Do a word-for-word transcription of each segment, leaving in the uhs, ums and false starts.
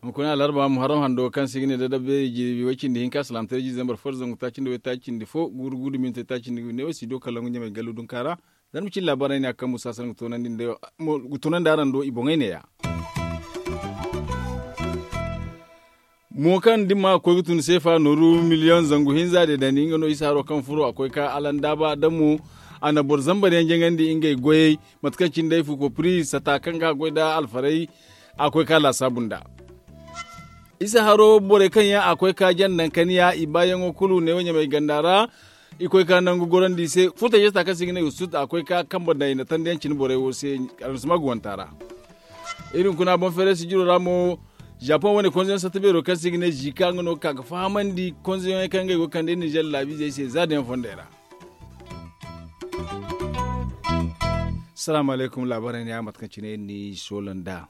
Hunkuna alarba muharram hando kaŋ se i ga ne da dabbe jirbi way cindi hinka salaamtaray jiiri zambar fo da zangu taaci nda way taaci cindi fo guuru guuru minti taaci nda ne wo si do kalangu ɲamay gallu dunka ra. Zarma cine laabaarey ne a kaŋ musa sara ga toonandi araŋ do i boŋey neeya. Mo kaŋ da ni ma koy ga tun seefa nooru miliyoŋ zangu hinza de dani nga no isa haro kaŋ furo a koy ka alandaaba da mo a na boro zambar yaŋ jaŋandi ngey goyey. Mate kaŋ cine day fuko piri sata kaŋ ga a goy nda alfarey a koy ka laasaabu nda isa haro borey kaŋ yaŋ a koy ka jaŋ naŋ kaniya i baayaŋo kulu neewo ɲamay ganda ra. I koy ka nangu gorandi i se furtay jesta kaŋ se i ga ne usut a koy ka kambe daŋ i na tandiyaŋ cine borey wo se. Almusuma ga wanta ra. Iri hunkuna boŋ feeray sijiro ra mo. Japoŋ wane konzeyaŋ satta beero kaŋ se i ga ne zika nga no ga ka ga fahamandi konzeyaŋey kaŋ ngey go ga kande nizer laabiizey se za daŋ yaŋ fondey ra. Salaamu alaykum laabaarey ne ya mate kaŋ cine iri n'i soola nd'a.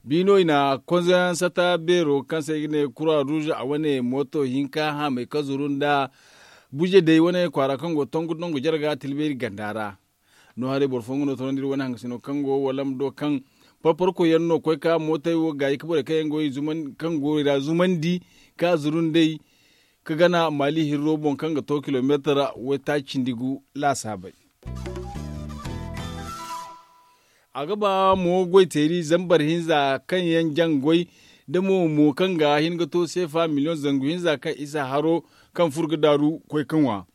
Biino i na konzoyaŋ sata beero kaŋ se i ga ne kura ruuz a wane mooto hinka haamay ka zuru nda buje day wane kwaara kaŋ go tongu tongu jarga tilbeeri ganda ra. No haray boro fooyaŋ no toonandi iri wane hangasino kaŋ go walam do kaŋ parparkoy yaŋ no koy ka mootey wo gaayi ka borey kaŋ yaŋ go i zumandi kaŋ go i ra zumandi ka zuru nd'ey ka gana maali hirro boŋ kaŋ ga to kilomeetar waytaaci cindi gu laasaabey. A ga ba mo goyteeri zambar hinza kaŋ yaŋ jaŋ goy da mo mo kaŋ ga hin ga to seefa miliyoŋ zangu hinza kaŋ isa haro kaŋ furo ga daaru koy ka ŋwa.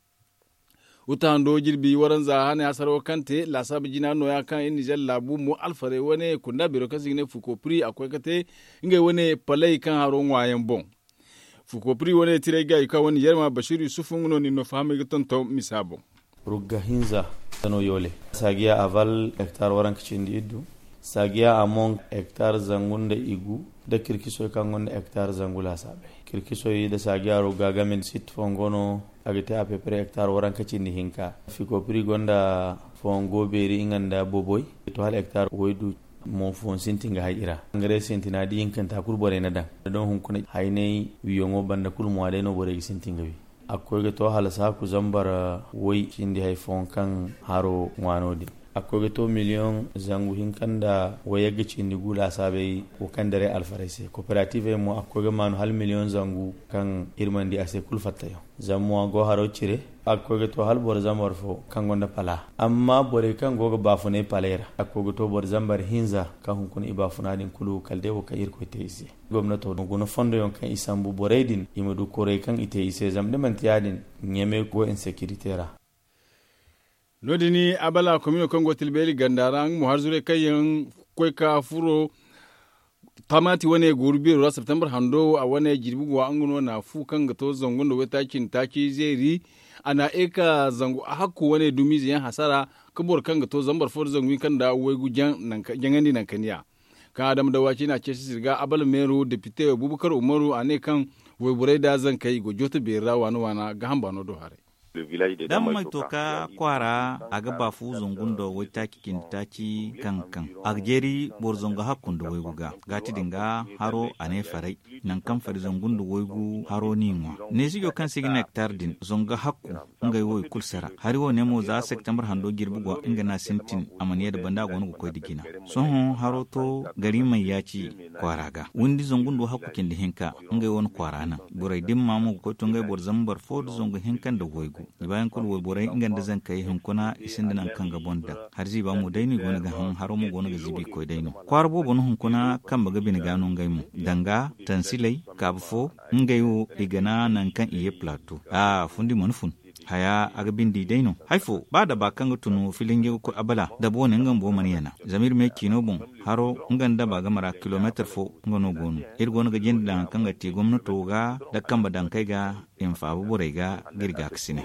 Wuta hando jirbi waranza hane hasaro kaŋ te laasaaba jina nooya kaŋ iri nizer laabu mo alfarey wane kunda beero kaŋ se i ga ne fuko piri a koy ka te ngey wane paley kaŋ haro ŋwaayaŋ boŋ. Fuko piri wane tiray gaayi kaŋ wane yerma basiiru yusufu nga no nin no fahamay ga tonton misa boŋ. Rugga hinza no yoole saagiya aval hektar waranka cindi iddu. Saagiya a moŋ hektar zangu nda igu nda kirkisoy kaŋ gonda hektar zangu laasaabey. Kirkisoy nda saagiya rugga game nda sitti fongo no a ga te a pepere hektar waranka cindi hinka. Fuko piri gonda fongo beeri nga nda boboy to hala hektar woy du. Mo fooyaŋ sintin ga hay i ra. Angare sintina da ihinkanta kulu borey na daŋ da don hunkuna haynay wiyaŋo banda kulu mo a day no borey ga sintin ga wi. A ga koy ga to hala saaku zambar woy cindi hari fooyaŋ kaŋ haro ŋwa no- din. A ga koy ga to miliyoŋ zangu hinka nda wayagga cindi gu laasaabey wo kaŋ daray alfarey se kooperativey mo a ga koy ga maanu hala miliyoŋ zangu kaŋ iri mana di a se kulu fattayaŋ. Zama mo a go haro cire a ga koy ga to hala boro zambar fo kaŋ gonda pala. Amma borey kaŋ go ga baafunay paley ra a ga koy ga to boro zambar hinza kaŋ hunkuna i baafuna din kulu kala day wo kaŋ irkoy te i se. Gomnato guna fondoyaŋ kaŋ i sambu borey din i ma du koray kaŋ i te i se zama da manti ya- din ɲamey go insekirite ra. No- din abala komino kaŋ go tilbeeri ganda ra nga mo har zurey kaŋ yaŋ koy ka furo. Tamati wane gooru beero ra septembre hando a wane jirbi go nga no na fu kaŋ ga to zangu nda waytaaci nda taaci zeeri. A na eka zangu hakku wane dumiize yaŋ hasara ka boro kaŋ ga to zambar fo nda zangu hinka nda waygu jaŋandi naŋ kaniya. Kaŋ adama dawaci na ceesi sirga abala meero depite bubakar umaru a ne kaŋ wayborey nda zankey i go jooto beeri ra waana waana gaaham baano do haray. Dam may to ka kwaara a ga baafu zangu nda waytaaci cindi taaci kaŋ ga kaŋ a ga jeeri boro zangu hakku nda waygu ga gaati din ga haro a ne faray. Nangu kaŋ fari zangu nda waygu haro n'i ŋwa neesijo kaŋ se i ga ne hektar din zangu hakku. Ngey wo i kulu sara hari wo ne mo za septembre hando jirbi go nga no a sintin a mana ye nda banda a go no ga koy nda jina. Sohõ haro to gari may yaaci kwaara ga windi zangu nda hakku cindi hinka. Ngey wane kwaara naŋ borey dimma mo ga koy to ngey boro zambar fo nda zangu hinka nda waygu. I baayaŋ kulu wayborey nga nda zankey hunkuna i sinda nangu kaŋ ga boŋ daŋ. Hari ziiba mo day no i go no ga haŋ haro mo go no ga ziibi koy day no kwaara boobo no hunkuna kambe ga bine ga no ngey mo danga tansiley kaabu fo. Ngey wo i gana nangu kaŋ i ye plato a fundi mana fun. Haya a ga bindi day no hari fo ba daba kaŋ ga tun filinje ga koy abala daba wane nga bumbo mana yana. Zama iri me ciino boŋ haro nga nda daba game ra kilomeetar fo. Nga no go no iri go no ga jinde daŋ kaŋ ga te gomnato ga nda kambe daŋ kaŋ ay ga i ma faabu borey ga ga iri gaakasinay.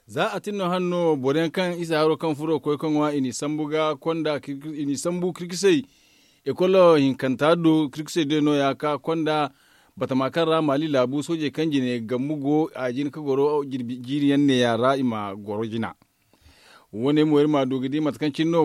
Za a tin no hane no boro yaŋ kaŋ isa haro kaŋ furo koy ka ŋwa i n'i sambu ga konda i n'i sambu kirkisey. Ekol hinkanta do kirkisey day nooya ka konda batama kaŋ ra maali laabu soojey kaŋ jine gambu go a jin ka goro jiiri yaŋ neeya ra i ma goro jina. Wo- ne mo iri ma a du ga di mate kaŋ cine no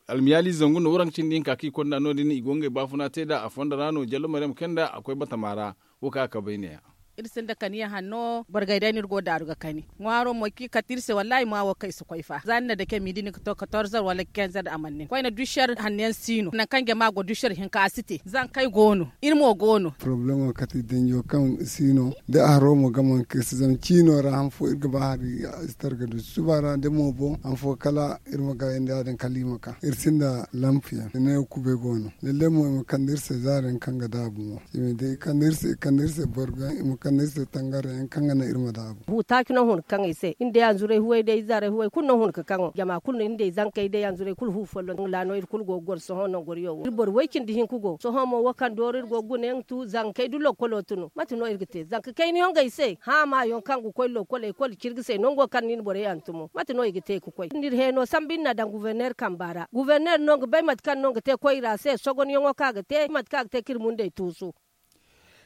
almiyaali zangu nda waranka cindi hinka kaŋ i konda no- din i go ngey baafuna te nd'a a fondo ra no jallo maryam kay nd'a a koy batama ra. Wo kaŋ a kabay neeya. Iri sinda kaniya hanno borgay day no iri go daaru ga kani ŋwaaro mo kaŋ i kate iri se wallaahi ma wo kaŋ i si koy fa za ni na dake midi ni ga to katorzer wala kenzer a mana nin koyne dušer hanno yaŋ si no nangu kaŋ jama go dušer hinka a si te zankey go no iri mo go no. Porobalemo kate danjo kaŋ si no da a haro mo gama kaŋ iri si zama ciino ra han fo iri ga ba hari a si targa du suba ra da mo boŋ han fo kala iri ma gayandi ya- din kala i ma ka iri sinda lampiyaŋ da ne kubay go no lalle mo i ma kande iri se zaari yaŋ kaŋ ga daabu mo i ma day i kande iri se i kande iri se borgo yaŋ i ma kande iri se tangara yaŋ kaŋ ga naŋ iri ma daabu. Hu taaci no hun ga kaŋ ay se iri day hanzuray huway day ize haray huway kulu no hun ga kaŋo jama kulu no iri day zankey day hanzuray kulu hu folloŋ ra no iri kulu go ga goro sohõ nangoriyo wo iri boro way cindi hinka go sohõ mo wo kaŋ dooro iri go ga guna yaŋ tu zankey da lokkolo tun mate no iri ga te zanka kayna yaŋ ga ay se haama yaŋ kaŋ ga koy lokkol ekol cirga se nango kaŋ no i na borey hantumo mate no i ga te ga koy iri heeno sambu iri na daŋ guverner kamba ra guverner no ga bay mate kaŋ no ga te koyra se sogonyaŋo kaŋ a ga te mate kaŋ a ga te ka iri mundey tuusu.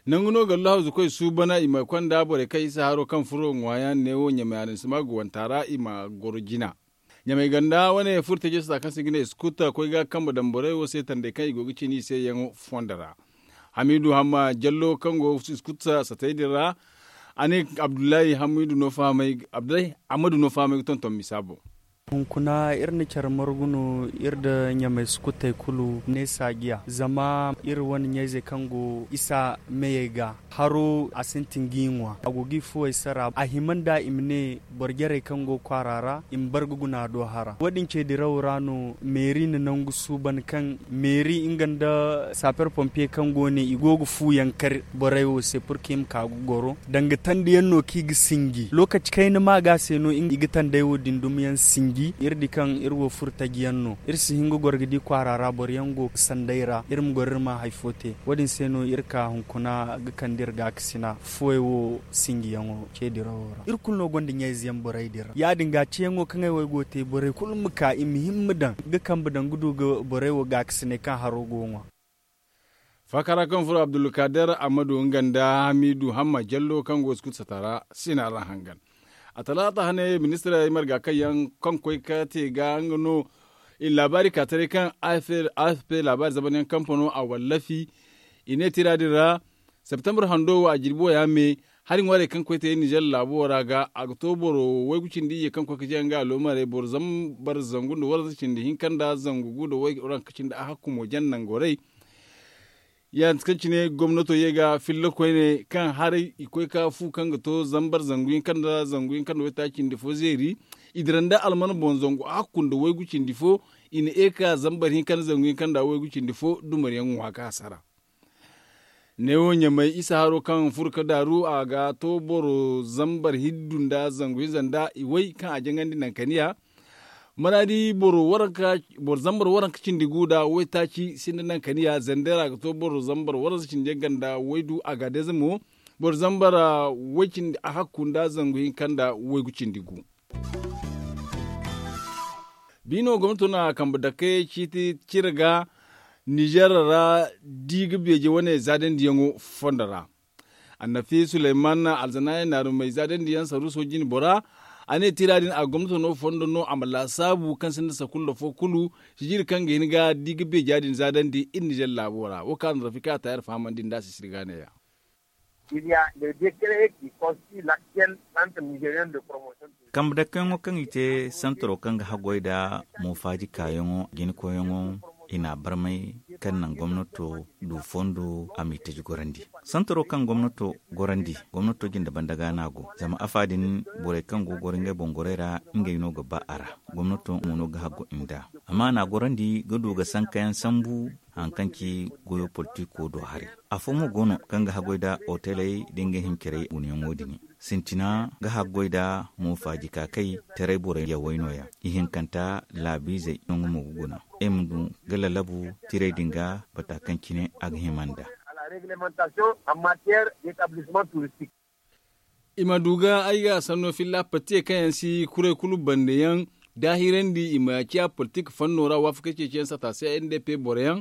Nangu no gallu hawzu koy suubana i ma konda borey kaŋ isa haro kaŋ furo ŋwaayaŋ neewo ɲamay aransima ga wanta ra i ma goro jina. Ɲamay ganda wane furo teeje sata kaŋ se ga ne iskuta koy ga kambe daŋ borey wo se tandey kaŋ i go ga cina i se yaŋo fondo ra. Hamidu hamma jallo kaŋ go iskuta satey din ra a ne abdullahi hamidu no fahamay abdullahi amadu no fahamay ga tonton misa boŋ. Hunkuna iri na care margu no iri nda ɲamay sukutey kulu ne saajiya zama iri wane ɲayzey kaŋ go isa meyey ga haro a sintin ga i ŋwa a go ga i fuwey sara a hima nda i ma ne boro jarey kaŋ go kwaara ra i ma bar ga guna do hara wo- din ce dirawo ra no meeri na nangu suuban kaŋ meeri nga nda saper pompiye kaŋ go ne i go ga fu yaŋ kar borey wo se pur kaŋ i ma ka ga goro danga tandi yaŋ no kaŋ i ga sinji lokaci kayna maaga se no i ga tandey wo din dumiyaŋ sinji iri di kaŋ iri wo furo taji yaŋ no iri si hin ga goro ga di kwaara ra boro yaŋ go ga sanday ra iri ma goro iri ma hari fo te wo- din se no iri ka hunkuna ga kande iri gaakasina fuwey wo sinjiyaŋo ce dirawo ra iri kulu no gonda ɲayze yaŋ borey din ra ya- din ga ceyaŋo kaŋ ay wo ay go ga te borey kulu ma ka i ma himma daŋ ga kambe daŋ ga du ga borey wo gaakasinay kaŋ haro go ga ŋwa. Faakara kaŋ furo abdulkader amadu nga nda hamidu hamma jallo kaŋ go ga sukut sata ra sina ra hangan a talaata hane ministirey marga kaŋ yaŋ kaŋ koy ka te ga nga no i na laabaari ka taray kaŋ afp laabaari zamanyaŋ kampa no a wallafi i ne tira din ra septembre hando wo a jirbi wo ya me hari ŋwaarey kaŋ koy te nizer laabo ra ga a ga to boro waygu cindi iyye kaŋ koy ka jaŋ ga aloomarey boro zambar zangu nda waranza cindi hinka nda zangu gu nda waranka cindi a hakku mo jaŋ nangorey. Ya nda kaŋ cine gomnato ye ga filla koyne kaŋ haray i koy ka fu kaŋ ga to zambar zangu hinka nda zangu hinka nda waytaaci cindi fo zeeri i dira nda alman boŋ zangu a hakku nda waygu cindi fo i na eeka zambar hinka nda zangu hinka nda waygu cindi fo dumariyaŋ ŋwa ka hasara. Neewo ɲamay isa haro kaŋ furo ka daaru a ga to boro zambar hiddu nda zangu hinza nda iway kaŋ a jaŋandi nankaniya maraadi boro zambar waranka cindi gu nda waytaaci sinda nankaniya zandera ga to boro zambar waranza cindi yaŋ ganda waydu a ga deeza mo boro zambar way cindi a hakku nda zangu hinka nda waygu cindi gu. Biino gomnato na kambe dake ciiti cire ga nizer ra di ga beeje wane zaadandiyaŋo fondo ra. Annafi suleyman alzanaaye naarumey zaadandiyaŋ saruuso jine bora a ne tira din a gomnato no fondo no a ma laasaabu kaŋ sinda sakulla fo kulu sijiri kaŋ ga hin ga di ga beeja din zaadandi iri nizer laabo ra wo kaŋ a na rafika tayar fahamandi nda a sisiri ga neeya. Kambe dakkoyaŋo kaŋ i te santaro kaŋ ga haggoy nda moofaaji kaayaŋo jinkoyaŋo i n'a barmay kaŋ naŋ gomnato du fondo a m'i taji gorandi. Santaro kaŋ gomnato gorandi gomnato jinde banda ga no a go zama afa din borey kaŋ go ga goro ngey boŋ gorey ra ngey no ga ba a ra. Gomnato mo no ga haggu i nd'a amma a n'a gorandi ga du ga sankayaŋ sambu hari kaŋ ci goyo politiko do haray. Afo mo go no kaŋ ga haggoy nda oteley nda ngey hima carey gunayaŋo din. Sintina ga haggoy nda moofaaji kaakay taray borey yawey nooya. Ihinkanta laabiizey no nga mo ga guna ay ma du ga lalabu tirey din ga bata kaŋ cine a ga hima nd'a. I ma du ga ay ga sanno filla pattiye kaŋ yaŋ si kuray kulu bande yaŋ daahirandi i ma ciya politik fanno ra waafakey ceeciyaŋ sata se n d p boro yaŋ.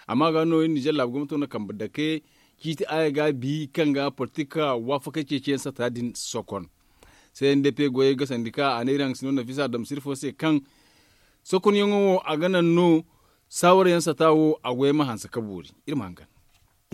Amma ga no iri nizer laabu gomnato na kambe dake ciiti aya ga bi kaŋ ga politik waafakey ceeciyaŋ sata din sokon. C n d p goyey ga sandi ka a ne iri haŋ sino nafisa damsir fo se kaŋ sokonyaŋo wo a ga naŋ no saawara yaŋ sata wo a goyey ma hanse ka boori. Iri ma hangan.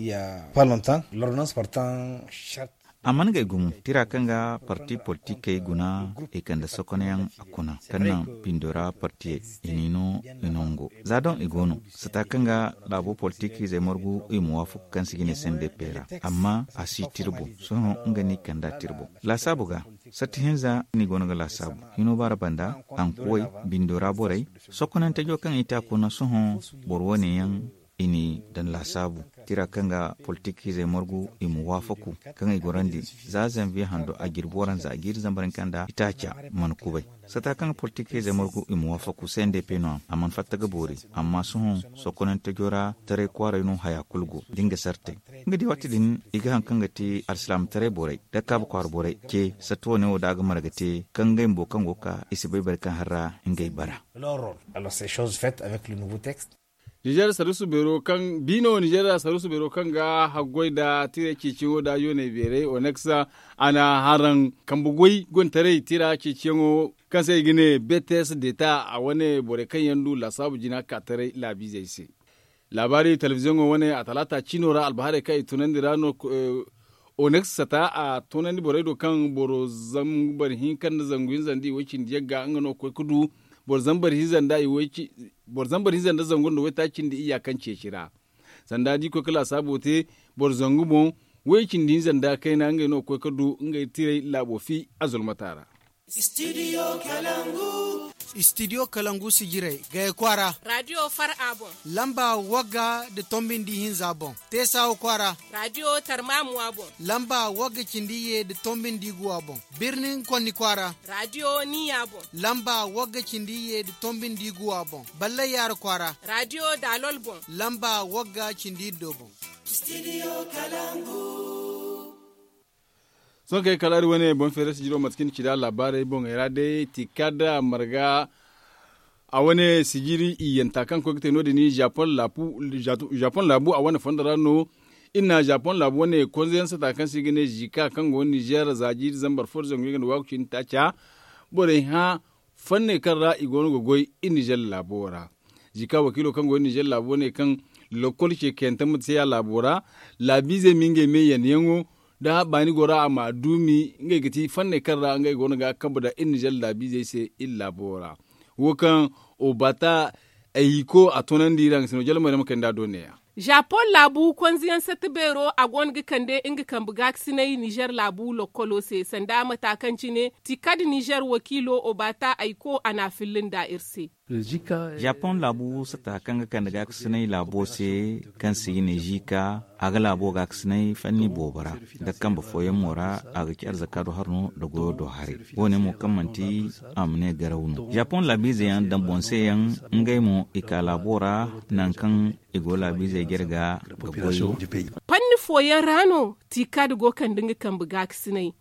Ya pas longtemps l'ordonnance portant charte. A mana ngey gumo tira kaŋ ga parti politikey guna i kande sokonayaŋ a kuna kaŋ naŋ bindo ra partiyey i n'i no i nango za doŋ i go no sata kaŋ ga laabo politikizey margu i ma waafaku kaŋ se i ga ne sendepey ra. Amma a si tirbo sohõ nga no i kand'a tirbo laasaabu ga. Satti hinza no i go no ga laasaabu hino baara banda hankuwey bindo ra borey sokonantejo kaŋ i te a kuna sohõ boro wane yaŋ i n'i daŋ laasaabu tira kaŋ ga politikizey margu i ma waafaku kaŋ i gorandi za zanviye hando a jirbi waranza a jiiri zambar hinka nda itaaca mana kubay sata kaŋ ga politikizey margu i ma waafaku se nda i pey no-ya a mana fatta ga boori. Amma sohõ sokonantejo ra taray kwaaray no haya kulu go da nga sartey nga di waati din i ga haŋ kaŋ ga te alsilaamataray borey da kaabu kwaara borey ce satti wane wo da a ga marga te kaŋ ngey bumbo kaŋ go ga ka i si bay boro kaŋ har ra ngey bara. Nizer sarusu beero kaŋ biino nizer sarusu beero kaŋ ga haggoy nda tiray ceeciyaŋo nda yooney beerey oneks a na haraŋ kambe goy gontaray tira ceeciyaŋo kaŋ se i ga ne betes deta a wane borey kaŋ yaŋ du laasaabu jina ka taray laabiizey se. Laabaari telebiziyoŋo wane a talaata ciino ra albaharey kaŋ i tunandi ra no. Oneks sata a tunandi borey do kaŋ boro zambar hinka nda zangu hinza nda i way cindi yagga nga no ga koy ga du boro zambar hinza nda zangu nda waytaaci nda iyya kaŋ ceeci ra. Sanda da i koy ga laasaabo te boro zangu boŋ way cindi hinza nda kayna ngey no ga koy ga du ngey tiray laabo fi a zulmata ra. Istidiyo kalangu sijirey gaya kwaara. Raadiyo far a boŋ lamba wagga nda tombindi hinza boŋ. Teesawa kwaara. Raadiyo tarmaamu a boŋ lamba wagga cindi ye nda tombindi guwa boŋ. Birnin konni kwaara. Raadiyo niya boŋ lamba wagga cindi ye nda tombindi guwa boŋ. Ballay yaara kwaara. Raadiyo daalol boŋ lamba wagga cindi iddo boŋ. Sohõ kay kala iri wane boŋ feere sijiro mate kaŋ ni ci nd'a laabaarey boŋey ra day tikada marga a wane sijiri iyyanta kaŋ koy ga te no- din jaapon laabu a wane fondo ra no. Iri na jaapon laabu wane konze yaŋ sata kaŋ se i ga ne zika kaŋ go nizer za jiiri zambar fo nda zangu yaŋ ga nda waaku cindi taaca borey hã fanney kaŋ ra i go no ga goy iri nizer laabo ra. Zika wakiilo kaŋ go iri nizer laabo ne kaŋ lokkol ce kayante ma te a laabo ra laabiizey ma ngey me yanayaŋo da baani go ra a ma duumi ngey ga ti fanney kaŋ ra ngey go no ga a kambe nda iri nizer laabiizey se iri laabo ra. Wo kaŋ obata ayiko a toonandi iri a ga si no jalamey ra ma kay nd'a do neeya. Jaapon laabu konzeyaŋ satti beero a go no ga kande nga kambe gaakasinay nizer laabu lokkolo se sanda mata kaŋ cine tikad nizer wakiilo obata ayiko a n'a filla nd'a iri se. Jaapon laabu sata kaŋ ga kande gaakasinay laabo se kaŋ se i ne zika a ga laabo gaakasinay fanni boobo ra nda kambe fooyaŋ mo ra a ga ci arzaka do haro no nda goyo do haray. Wo- ne mo kaŋ manti a ma ne garaw no jaapon laabiize yaŋ daŋ boŋ se yaŋ ngey mo i ka laabo ra nangu kaŋ i go laabiizey jarga ga goy. Panni fooyaŋ ra no tikad go kande nga kambe gaakasinay.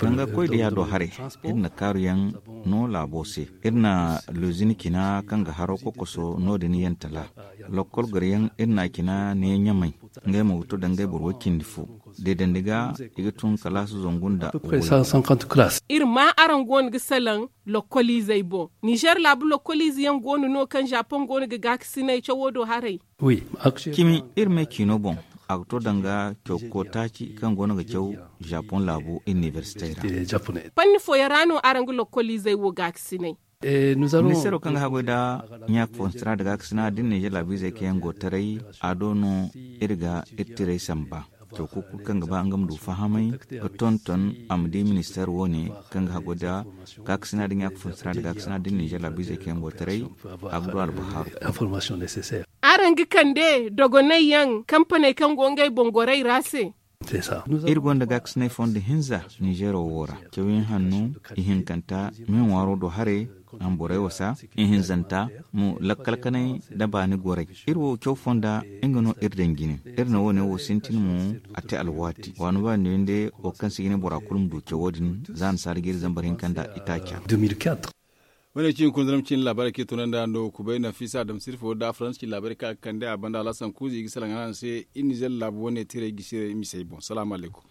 Danga koy diya do haray iri na kaaru yaŋ no laabo se. Iri na lozin cina kaŋ ga haro kokoso no- din yaŋ tala lokkol goro yaŋ iri na a cina ne ɲamay ngey mo ga to dangay boro way cindi fo. Deedandi ga i ga tun kalaasi zangu nda iri ma araŋ go no ga salaŋ lokkoliizey boŋ nizer laabu lokkoliize yaŋ go no no kaŋ jaapon go no ga gaakasinay cawo do haray. Cimi iri me ciino boŋ a ga to danga caw kootaaci kaŋ go no ga caw jaapon laabu inibersitey ra. Panni fooyaŋ ra no araŋ ga lokkoliizey wo gaakasinay. Ministeero kaŋ ga haggoy nda ɲaaka fo sira nda gaakasina da iri nizer laabiizey kaŋ yaŋ go taray a do no iri ga iri tirey samba. Caw kulu kulu kaŋ ga ba nga ma du fahamay ga tonton a ma di ministeer wo- ne kaŋ ga haggoy nda gaakasina da ɲaaka fo sira nda gaakasina da iri nizer laabiizey kaŋ yaŋ go taray a ga du albahaaru. Araŋ ga kande dogonay yaŋ kampaney kaŋ go ngey boŋ goray ra se. Iri gonda gaakasinay fondo hinza nizeero wo ra cawyaŋ hanno ihinkanta me ŋwaaro do haray. Amborey wasa ihinzanta mo lakkal kanay nda baani goray. Iri wo caw fonda nga no iri daŋ jine. Iri na wo- ne wo sintin mo a te alwaati waano ba nda yande wo kaŋ se ga ne bora kulu ma du cawo din za nasaara ga iri zambar hinka nda itaaca. Wo- ne cine kunzanam cine laabaarey kaŋ i tunandi a no kubay nafisa adam sirfo da faransa cine laabaarey kaŋ a ga kande a banda alhasan kuuza i ga salaŋ araŋ se iri nizer laabu wo- ne tiray gisirey misey boŋ salaamu alaykum.